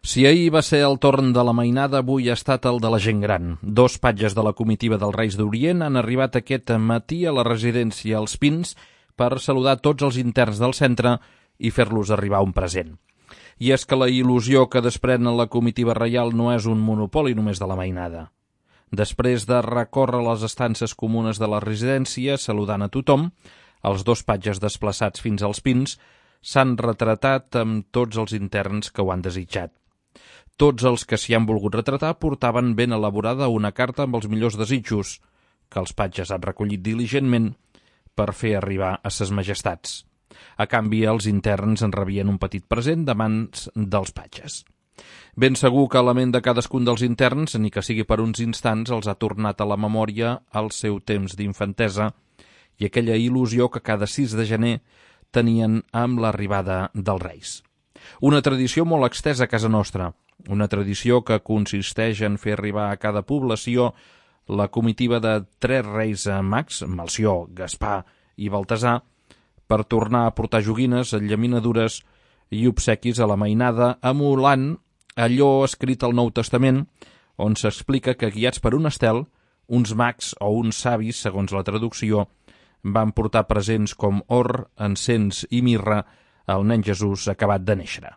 Si ahir va ser el torn de la mainada, avui ha estat el de la gent gran. Dos patges de la comitiva dels Reis d'Orient han arribat aquest matí a la residència Els Pins per saludar tots els interns del centre i fer-los arribar un present. I és que la il·lusió que desprèn la comitiva reial no és un monopoli només de la mainada. Després de recórrer les estances comunes de la residència saludant a tothom, els dos patges desplaçats fins als Pins s'han retratat amb tots els interns que ho han desitjat. Tots els que s'hi han volgut retratar portaven ben elaborada una carta amb els millors desitjos, que els patges han recollit diligentment per fer arribar a ses majestats. A canvi, els interns en rebien un petit present de mans dels patges. Ben segur que la ment de cadascun dels interns, ni que sigui per uns instants, els ha tornat a la memòria el seu temps d'infantesa i aquella il·lusió que cada 6 de gener tenien amb l'arribada dels Reis. Una tradició molt extesa a casa nostra, una tradició que consisteix en fer arribar a cada població la comitiva de 3 reis mags, Melcior, Gaspar i Baltasar, per tornar a portar joguines, enllaminadures i obsequis a la mainada, emulant allò escrit al Nou Testament, on s'explica que, guiats per un estel, uns mags o uns savis, segons la traducció, van portar presents com or, encens i mirra al nen Jesús acabat de néixer.